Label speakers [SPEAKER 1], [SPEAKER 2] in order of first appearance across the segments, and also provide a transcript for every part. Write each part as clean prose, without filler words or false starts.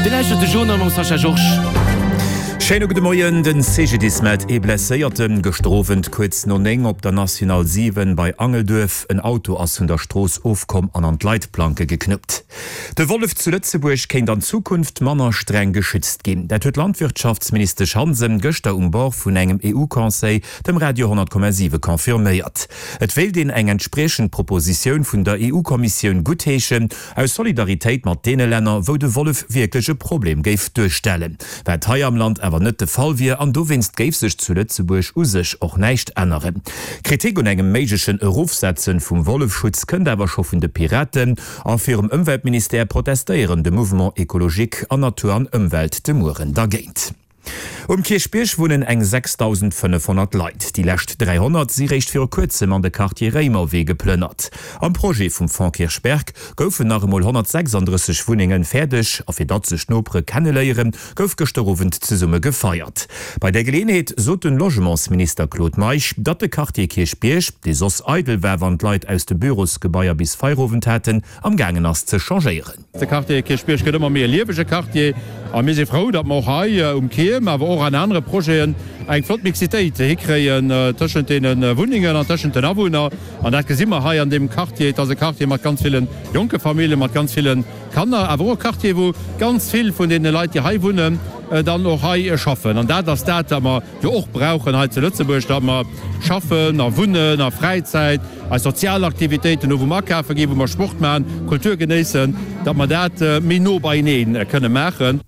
[SPEAKER 1] Dir lauschtert de Journal mam Sascha Georges.
[SPEAKER 2] Schéine gudde Moien. Den CGDIS mellt ee Blesséierten gëschter Owend kuerz no 9 op der National 7 bei Angelduerf. En Auto ass vun der Strooss ofkomm an an d'Leitplanke geknuppt. De Wollef zu Lëtzebuerg kéint an Zukunft manner streng geschützt ginn. Dat huet d'Landwirtschaftsministesch Hansen gëschter um Bord vun engem EU-Conseil dem Radio 10,7 confirméiert. Et wéilt een eng entspriechend Propositioun vun der EU-Kommissioun guttheeschen, aus Solidaritéit mat deene Länner, wou de Wollef wierklech e Problem géif duerstellen, wat hei am Land awer net de Fall wier an dowéinst géif sech zu Lëtzebuerg u sech och näischt änneren. Kritik un engem méiglechen Erofsetzen vum Wollefschutz kënnt awer scho vun de Piraten a virum Ëmweltministère protestéieren de Mouvement Ecologique an Natur an Ëmwelt de Mueren dergéint. Um Kierchbierg wunnen eng 6.500 Leit. Déi lescht 300 si réischt viru kuerzem an de Quartier Réimerwee geplënnert. Am Projet vum Fonds Kirchberg goufen nach emol 136 Wunnenge fäerdeg a fir datt sech d'Nopere kenneléieren, gouf gëschter Owend zesumme gefeiert. Bei där Geleeënheet sot den Logementsminister Claude Meisch, datt de Quartier Kierchbierg, dee soss eidel war wann d'Leit aus de Bürosgebaier bis Feierowend haten, am gaangen ass ze changéieren.
[SPEAKER 3] De Quartier Kierchbierg gëtt ëmmer méi e liewege Quartier a mir si frou, datt mer och hei um Kierm, awer och an anere Projeten eng flott Mixitéit hikréien tëschent deene Wunnengen an tëschent den Awunner. An dat gesi mer hei an deem Quartier. Et ass e Quartier mat ganz ville jonke Familljen, mat ganz ville Kanner, awer och e Quartier, wou ganz vill vun deene Leit, déi hei wunnen, dann och hei schaffen. An dat ass dat, wat mer jo och brauchen hei zu Lëtzebuerg, datt mer schaffen a wunnen a Fräizäit, eis sozial Aktivitéiten hu wou mer akafe ginn, wou mer Sport maachen, Kultur genéissen, datt mer dat méi no beienee kënne maachen.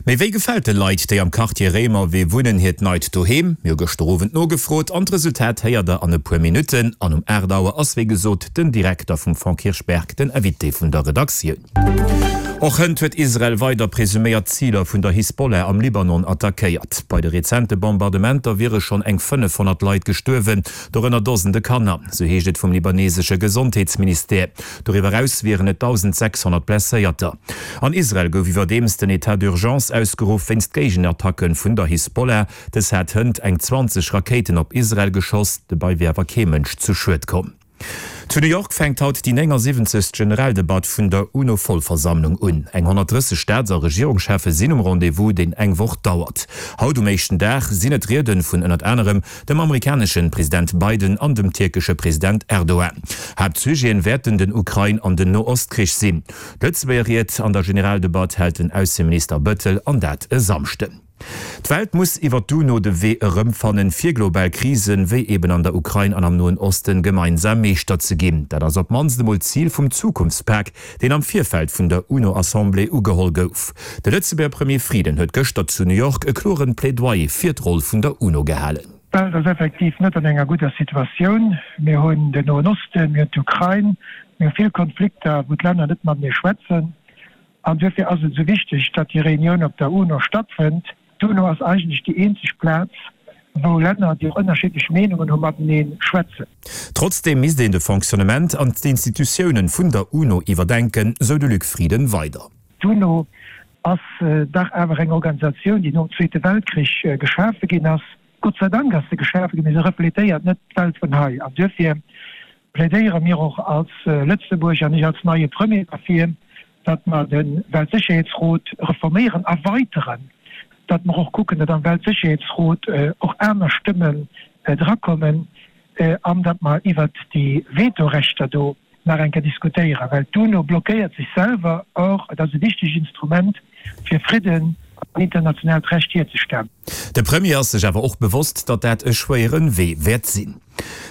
[SPEAKER 2] Mee wéi gefält de Leit, déi am Quartier Réimerwee wunnen, hiert neit Doheem? Mir hu gëschter Owend nogefrot an d'Resultat héiert der an e puer Minutten. An um 8 Auer ass wéi gesot den Direkter vum Fonds Kirchberg den Invité vun der Redaktioun. Och hënt huet Israel weider presuméiert Ziler vun der Hisbollah am Libanon attackéiert. Bei de rezente Bombardementer wiere schonn eng 500 Leit gestuerwen, dorënner Dosende Kanner, sou heescht et vum libanesesche Gesondheetsministère. Doriwwer eraus wieren et 1.600 Blesséierter. An Israel gouf iwwerdeems den Etat d'urgence ausgeruff wéinst Géigenattacke vun der Hisbollah. Dës hat hënt eng 20 Rakéiten op Israel geschoss, dobäi wier awer kee Mënsch zu Schued komm. Zu New York fänkt haut déi 79. Generaldebatt vun der UNO-Vollversammlung un. Eng 130 Staats a Regierungscheffe sinn um Rendez-vous, deen eng Woch dauert. Haut um éischten Dag sinn et Riede vun ënnert anerem dem amerikanesche President Biden an dem tierkesche President Erdogan. Haaptsujeten wäerten den Ukrain an den No-Ost-Krich sinn. D'Lëtzebuerger Ried an der Generaldebatt hält den Ausseminister Bëttel an dat e Samschden. D'Welt muss iwwer d'UNO de Wee erëmfannen, fir global Krisen, wéi eben an der Ukrain an am Noen Osten, gemeinsam Meeschter ze ginn. Dat ass op d'mannst emol d'Zil vum Zukunftspak, deen am Virfeld vun der UNO-Assemblée ugeholl gouf. De Lëtzebuerger Premier Frieden huet gëschter zu New York e kloren Plädoyer fir d'Roll vun der UNO gehalen.
[SPEAKER 4] D'Welt ass effektiv net an enger gudder Situatioun. Mir hunn den Noen Osten, mir hunn d'Ukrain, mir hu vill Konflikter, wou d'Länner net matenee schwätzen. An duerfir ass et esou wichteg, datt déi Reunioun op der UNO stattfënnt. D'UNO ass eigentlech déi eenzeg Plaz, wou Länner, déi och ënnerschiddlech Meenungen hu matenee schwätzen.
[SPEAKER 2] Trotzdeem misst een de Fonctionnement an d'Institutiounen vun der UNO iwwerdenken, sou de Luc Frieden weider.
[SPEAKER 4] D'UNO ass dach awer eng Organisatioun, déi nom Zweete Weltkrich geschafe ginn ass. Gott sei Dank ass se geschafe ginn, mee se refletéiert net d'Welt vun hei. An duerfir plädéiere mir och als Lëtzebuerg an ech als neie Premier derfir, datt mer de Weltsécherheetsrot reforméieren, erweiteren, datt mer och kucken, datt am Weltsécherheetsrot och aner Stëmmen drakommen an datt mer iwwert déi Vetorechter do nach eng Kéier diskutéieren, well d'UNO blockéiert sech selwer. Or, et ass e wichtegt Instrument, fir Fridden an internationaalt Recht hierzestellen.
[SPEAKER 2] De Premier ass sech awer och bewosst, datt dat e schwéiere Wee wäert sinn.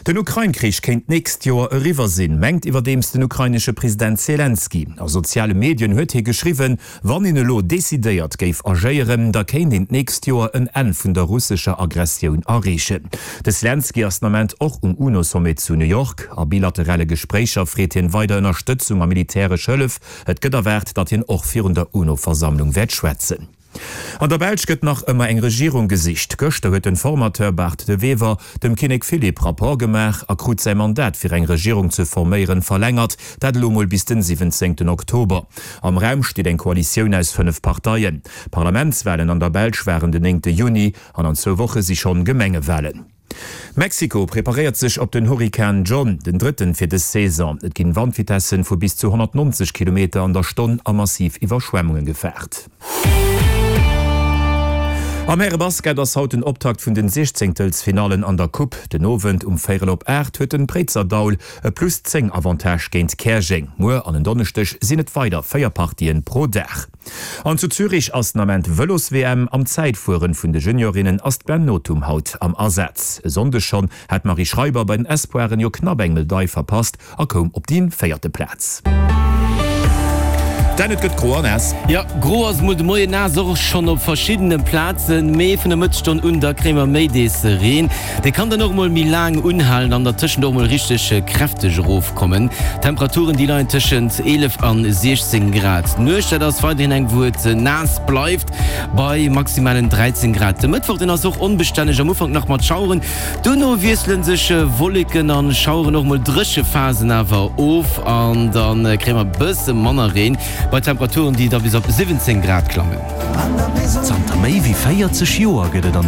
[SPEAKER 2] Den Ukrain-Krich kéint d'nächst Joer eriwwer sinn, mengt iwwerdeems den ukrainesche President Selenskyj. A soziale Medien huet hie geschriwwen, wann een elo decidéiert géif agéieren, da kéint een d'nächst Joer en Enn vun der russescher Aggressioun erreechen. De Selenskyj ass den Ament och um UNO-Sommet zu New York. A bilaterale Gespréicher freet hien weider Ënnerstëtzung a militäresch Hëllef. Et gëtt erwaart, datt hien och virun der UNO-Versammlung wäert schwätzen. An der Belsch gëtt nach ëmmer eng Regierung gesicht. Gëschter huet den Formateur Bart De Wever dem Kinnek Philippe Rapport gemaach a krut säi Mandat fir eng Regierung ze forméieren verlängert, dat elo mol bis den 17 Oktober. Am Raum steet eng Koalitioun aus 5 Parteien. Parlamentswalen an der Belsch waren den 9 Juni an an zwou Woche si schonn Gemengewalen. Mexiko preparéiert sech op den Hurrikan John, den drëtten fir dës Saison. Et ginn Wandvitessen vu bis zu 190 Kilometer an der Stonn a massiv Iwwerschwemmunge gefaart. Am Härebasket ass haut den Optakt vun den Siechzéngtelsfinallen an der Coupe. Den Owend um véierel op 8 huet den Préizerdaul e plus 10 Avantage géint Käerjeng. Muer an en Donneschdeg sinn et weider 4 Partien pro Dag. An zu Zürich ass den Ament Vëlos-WM. Am Zäitfueren vun de Juniorinnen ass d'Gwen Nothum haut am Asaz. E Sonndeg schonn hat d'Marie Schreiber bei den Espoiren jo knapp eng Medail verpasst a koum op déi véierte Plaz. Dan, et gëtt gro a naass.
[SPEAKER 1] Jo, gro ass et mol de Moien, naass och schonn op verschiddene Plazen, mee vun der Mëttesstonn un da kréie mer méi dees Reen. Dee kann dann och mol méi laang unhalen an dertëschent och mol richteg kräfteg erofkommen. D'Temperaturen déi leien tëschent 11 an 16 Grad. D'Nuecht, dat ass weiderhin eng wou et naass bleift bei maximalen 13 Grad. De Mëttwoch, deen ass och onbestänneg, am Ufank nach mat Schaueren, duerno wiessele sech Wolleken an Schaueren, och mol dréche Phasen awer of an da kréie mer e bësse manner Reen bei Temperaturen déi da bis op 17 Grad klammen.
[SPEAKER 5] Zanter méi wéi 40 Joer gëtt et an.